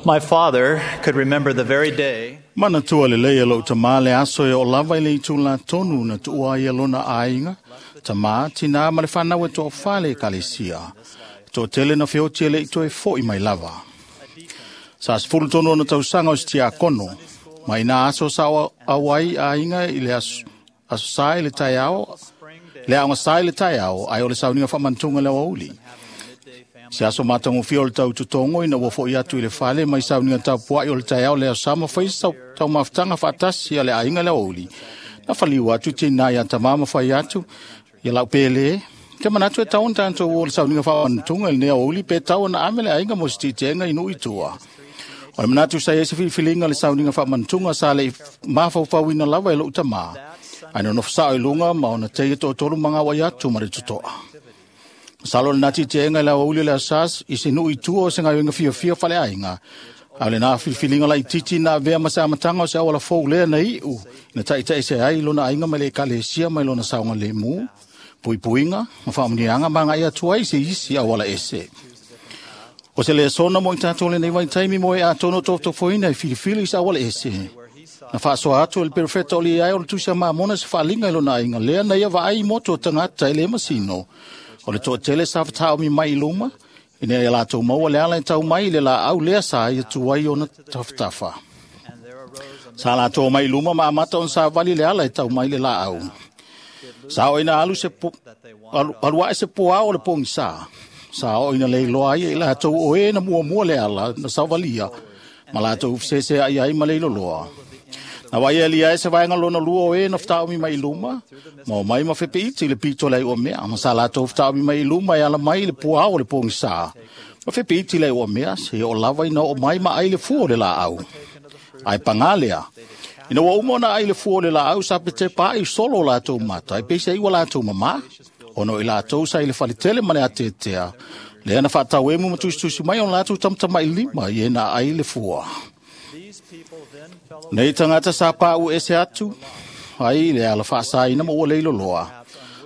My father could remember the very day Manatua lelei e lou tamā le aso e o lava i le itu la tonu na tuua ai e lona aiga, tamā, tinā ma le whanau e toa whale e kalesia. Toa tele na feoti e le i toe foi mai lava. Sa 13 ona tausaga o se tiakono, mai nā aso sa au ai aiga i le aso, aso sa i le taeao, le aoga sa i le taeao, ai o le sauniga whaamantunga le aoauli. Se aso matagofie o le tau totogo ina ua fo'i atu i le fale mai sauniga tapua'i o le taeao le aso sa ma fai taumafataga faatasi a le aiga le aoauli. Na faliu atu tinā iā tamā ma fai atu, ia lau pēlē, te manatu e tau ona tatou o le sauniga faamanatuga i lenei aoauli pe tau ona ame le aiga mo se tiitiega i nuu i tua. O le manatu sa i ai se filifiliga le sauniga faamanatuga sa le'i mafaufauina lava e lo'u tamā, ae nonofo sa'o i luga ma ona teia to'atolu magauai atu ma le toto'a. Masalo lena tiitiega i le aoauli o le aso sa i se nuu i tua o se galuega fiafia faleaiga, a o lena filifiliga laitiiti na avea ma se amataga o se auala fou lea na i'u na ta'ita'i ai lona aiga mai le ekalesia mai lona saogalemu, puipuiga ma faamuniaga ma aga'i atu ai se isi auala ese. O se lesona mo i tatou lenei vaitaimi mo e atonu o tofotofoina e filifili i se auala ese. Na faasoa atu e le perofeta o liai o le tusi a Mamona se faaliga i lona aiga lea na ia vaai i motu o tagata e le masino. O le toatele sa fataomi mai i luma, ina ia latou maua le ala e tau mai i le laau lea sa ia tu ai ona tafatafa. Sa latou mai i luma ma amata ona savali le ala e tau mai le laau. Sa oo ina alu, se po, alu, alu ae se poao o le pogisa. Sa oo ina leiloa ai e i latou o e na muamua le ala na savalia, ma latou fesesea'i ai ma le iloloa. Na vai ali ai se vaega lona lua o e na fataomi mai i luma, ma o mai ma fepeiti i le pito le aiua mea, ma sa latou fataomi mai i luma e ala mai i le puao o le pogisa. Ma fepeiti le aiua mea, se o lava ina oo mai ma ai le fua o le laau. Ae pagā lea, ina ua uma ona ai le fua o le laau sa petepa ai solo o latou mata, e peisa ua latou mamā, ona o i latou sa i le faletele ma le atetea, lea na faatauemu ma tusitusi mai ona latou tamatama'i lima i e na ai le fua. Nei tagata sa pa'u ese atu ai le ala faasaina ma ua leiloloa.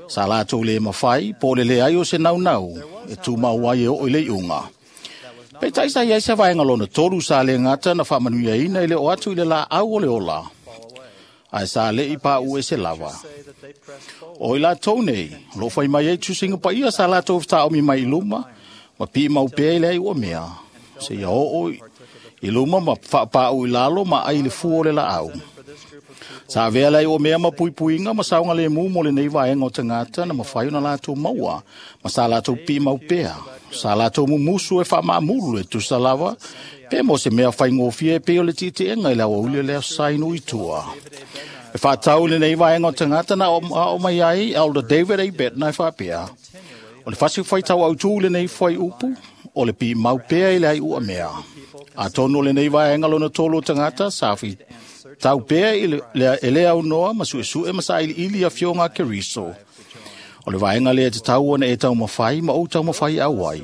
Sa latou le mafai po o le leai o se naunau e tumau ai e oo i le iuga. Peitai sa i ai se vaega lona tolu sa le gata na faamanuiaina i le o atu i le laau o le ola, ae sa le'i pa'u ese lava. O i latou nei, o loo fai mai ai tusiga paia sa latou fetaomi mai i luma, ma piimau pea i le ai ua mea, seia oo i luma ma faapā'u i lalo ma ai le fua o le laau. Sa avea le ai ua mea ma puipuiga ma saogalemu mo lenei vaega o tagata na mafai ona latou maua, ma sa latou piimau pea. Sa latou mumusu e faamaamulu e tusa lava, pe mo se mea faigofie e pei o le tiitiega i le aoauli o le aso sa i nuu i tua. E faatau i lenei vaega o tagata na ao mai ai Elder David A. Bednar e faapea, o le fasi faitau autū i lenei fuaiupu, o le piimau pea i le ai ua mea. Atonu o lenei vaega lona tolu o tagata sa fi tau pea i le, e le aunoa ma suesue ma sailiili afioga a Keriso. O le vaega lea te tau ona e taumafai ma ou taumafai au ai.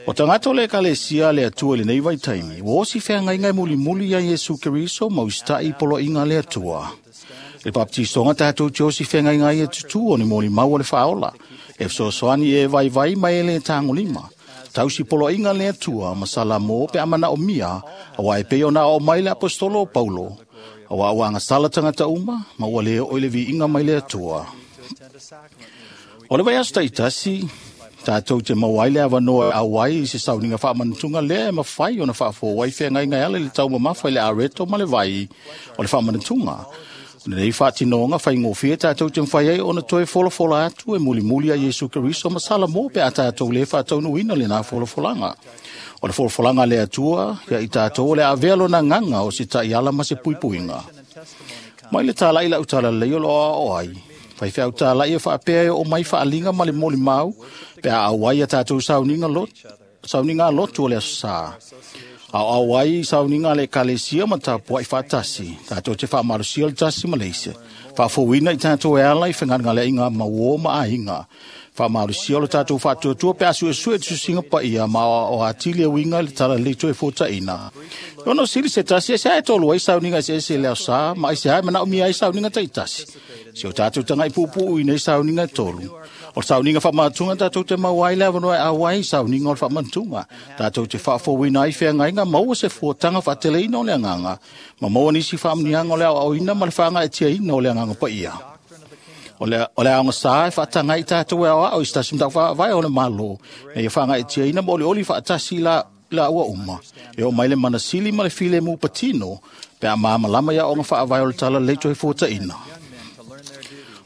O tagata o le ekalesia le Atua i lenei vaitaimi, ua osi feagaiga e mulimuli ia Iesu Keriso ma usita'i i poloaiga a le Atua. I le papatisoga tatou te osi feagaiga ai e tutū o ni molimau o le faaola, e fesoasoani e vaivai ma e le tagolima. Tausi poloaiga le Atua ma salamo pe a manaomia, auā e pei ona aoao mai le aposetolo o Paulo, auā ua agasala tagata uma, ma ua le oo i le viiga mai le Atua. O le vaiaso ta'itasi, tatou te maua ai le avanoa e au ai i se sauniga faamanatuga lea e mafai ona faafou ai feagaiga e ala i le taumamafa i le areto ma le vai o le faamanatuga. O lenei faatinoga faigofie tatou te mafai ai ona toe folafola atu e mulimuli a Iesu Keriso ma Salamo pe a tatou le faataunuuina lena folafolaga. O le folafolaga a le Atua ia i tatou o le avea lona agaga o se ta'iala ma se puipuiga. Mai le tala'i la'u talalelei o lo o aoao ai. Faifeau tala'i e faapea e oo mai faaliga ma le molimau pe a au ai a tatou sauniga lot, sauniga lotu o le aso sa. Aoao ai i sauniga a le ekalesia ma tapua'i faatasi, tatou te faamalosia le tasi ma le isi. Faafouina i tatou e ala i fegalegaleaiga mauō ma aiga. Faamalosia o le tatou faatuatua pe a suesue tusiga paia ma aoao atili e uiga i le talalelei toe fuataʻina. E ono sili se tasi e se ae tolu ai sauniga eseese i le aso sa, ma aisea e manaomia ai sauniga taitasi. Se o tatou taga'i puupuu i nei sauniga e tolu. O le sauniga faamanatuga tatou te maua ai le avanoa e auai i sauniga o le faamanatuga. Tatou te faafouina ai feagaiga, maua se fuataga faateleina o le agaga, ma maua nisi faamuniaga o le aoaoina ma le faagaetiaina o le agaga paia. O le aoga e faataga ai tatou e aoao i se tasi mataupu faavae o le Malo, ina ia faagaetiaina ma olioli faatasi la ua uma. E oo mai le manasili ma le filemu patino, pe a malamalama i aoga faavae o le talalelei toe fuataina.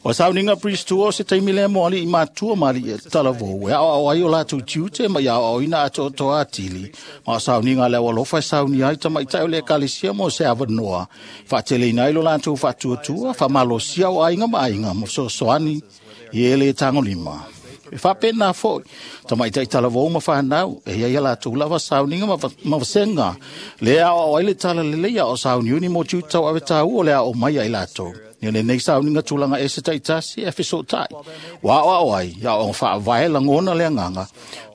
O sauniga Priest o se taimi lea mo alii matua ma alii talavou e aoao ai o latou tiute ma ia aoaoina atoatoa atili. Ma o sauniga le aualofa e saunia ai tamaitai o le ekalesia mo se avanoa faateleina ai lo latou faatuatua, faamalosia o aiga ma aiga ma fesoasoani i e le tagolima. E faapena foi tamaitai talavou ma fanau e iai a latou lava sauniga ma vasega le aoao ai le talalelei a o sauniuni mo tiute tauave taua o le ao mai ai latou. Ia lenei sauniga tulaga ese taitasi e fesootai. Ua aoao ai, ia aoaoga faavae lagona le agaga,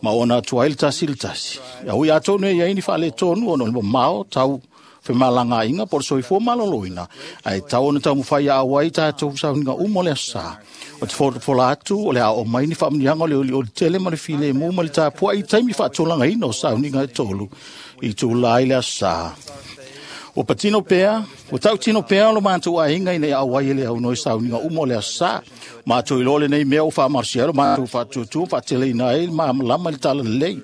ma ona atu ai le tasi i le tasi. Ia ui atonu e iai ni faaletonu ona o le mamao tau femalagaaiga po o le soifua maloloina, ae tau ona taumafai ia auai tatou sauniga uma o le aso sa. O te folafola atu o le a oo mai ni faamuniaga o le olioli tele ma le filemu ma le tapuai i taimi faatulagaina o sauniga e tolu i tula ai le aso sa. Ua patino pea, ua tautino pea lo matou aiga ina ia auai e le aunoa i sauniga uma o le aso sa. Matou iloa lenei mea ua faamalosia ai lo matou faatuatua faateleina ai le malamalama i le talalelei.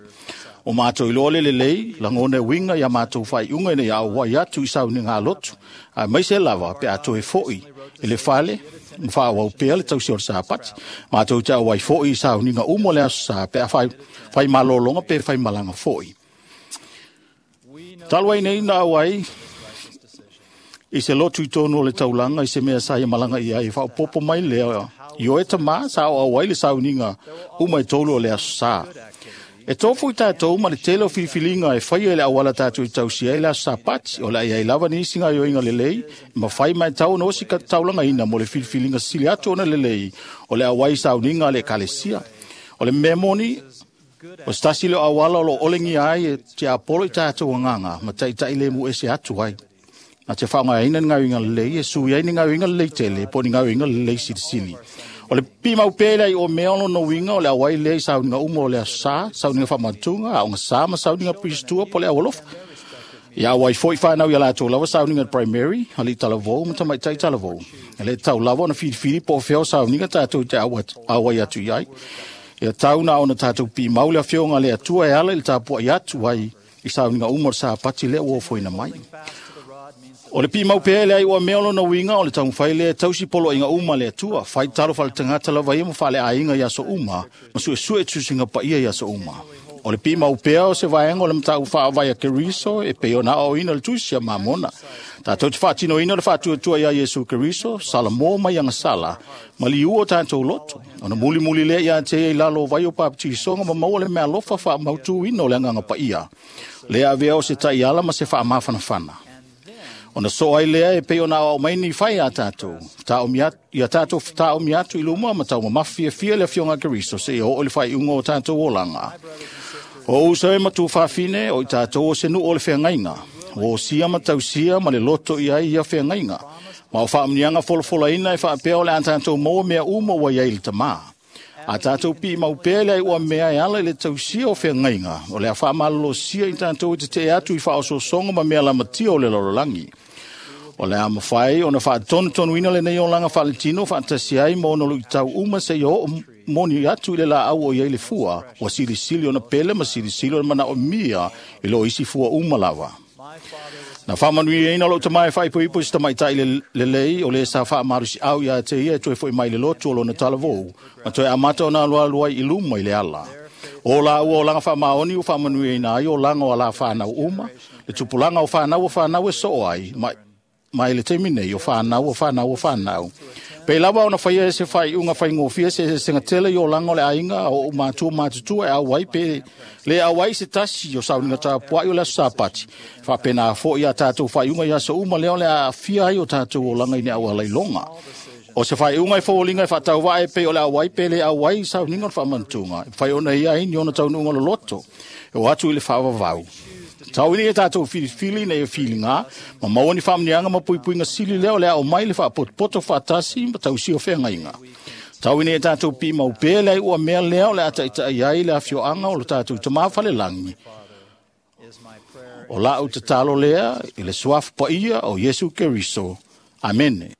O matou iloa le lelei, lagona e uiga ia matou faaiuga ina ia auai atu i sauniga a lotu. Aemaise lava pe a toe foi i le fale ma faaauau pea le tausi o le Sapati. Matou te auai foi i sauniga uma o le aso sa pe a fai malologa pe fai malaga foi. Talu ai nei na auai i se lotu i tonu o le taulaga i se mea sa ia malaga i ai, faaopoopo mai lea i oe tama sa o auai le sauniga uma e tolu o le aso sa. E tofu i tatou ma le tele o filifiliga e faia i le auala tatou i tausia ai le aso Sapati. O le a iai lava nisi gaoioiga lelei, ma fai mai tau ona osi taulagaina mo le filifiliga sili atu ona lelei o le auai i sauniga a le ekalesia. O le mea moni, o se tasi leo auala o lo o olegia ai e tiapolo i tatou agaga ma taitai le mu ese atu ai. Na te faaaogaina ni gaoioiga lelei e sui ai ni gaoioiga lelei tele po o ni gaoioiga lelei silisili. O le pimau pea le ai o mea o lona uiga o le auai lea i sauniga uma o le aso sa, sauniga faamanatuga, aoga sa ma sauniga Priest po o le aualofa. Ia auai foi fanau ia latou lava sauniga primary, alii talavou ma tamaitai talavou. E le tau lava ona filifili po o fea o sauniga tatou te auai atu i ai. Ia tau na ona tatou pimau le afioga a le Atua e ala i le tapuai atu ai i sauniga uma o le Sapati lea ua ofoina mai. O le pimau pea le ai ua mea o lona uiga o le taumafai lea e tausi poloaiga uma a le Atua, fai talo faaletagata lava ia ma faaleaiga i aso uma, ma suesue tusiga paia i aso uma. O le pimau pea o se vaega o le mataupu faavae a Keriso e pei ona aoaoina le tusi a Mamona. Tatou te faatinoina le faatuatua ia Iesu Keriso, Salamo mai agasala, ma liu o tatou loto. Ona mulimuli lea ia te ia i lalo o vai o papatisoga ma maua le meaalofa faamautuina o le agaga paia. Lea avea o se taiala ma se faamafanafana. Ona so ai lea e pei ona aoao mai ni fai a tatou. Ia tatou fetaomi atu i luma ma taumamafa fiafia le afioga a Keriso seia oo i le faaiuga o tatou olaga. O uso e ma tuafafine o i tatou o se nuu o le feagaiga. Ua osia ma tausia ma le loto i ai ia feagaiga. Ma o faamuniaga folafolaina e faapea o le a tatou maua mea uma ua iai le tamā. A tatou pimau pea le ai ua mea e ala i le tausia o feagaiga, o le a faamalolosia i tatou e tetee atu i faaosoosoga ma mea lamatia o le lalolagi. O le a mafai ona faatonutonuina lenei olaga faaletino faatasi ai ma ona luitau uma seia oo moni atu i le laau o iai le fua, ua silisili ona pele ma silisili ona manaomia i lo isi fua uma lava. Na faamanuiaina lou tama e faaipoipo i se tamaitai lelei o le sa faamalosiau ia te ia e toe foi mai le lotu o lona talavou, ma toe amata ona alualu ai i luma i le ala. O laua olaga faamaoni ua faamanuiaina ai olaga o ala fanau uma, le tupulaga o fanau o fanau e soo ai, mai le taimi nei o fanau o fanau o fanau. Pei lava ona faia e se faaiuga faigofie se eseesega tele i olaga o le aiga o ou matua matutua e auai pe le auai se tasi o sauniga tapuai o le aso Sapati. Faapena foi ia tatou faaiuga i aso uma lea o le a aafia ai o tatou olaga i ni auala iloga. O se faaiuga e foliga e faatauvaa e pei o le auai pe le auai i sauniga o le faamanatuga, e mafai ona ia ai ni ona taunuuga loloto e o atu i le faavavau. Tau ina ia tatou filifili ina ia filiga, ma maua ni faamuniaga ma puipuiga sili lea o le ao mai le faapotopoto faatasi ma tausia o feagaiga. Tau ina ia tatou piimau pea le aiʻu mea lea o le a taʻitaʻi ai le afioaga o lo tatou Tamā falelagi. O la'u tatalo lea i le suafa paia o Iesu Keriso. Amene.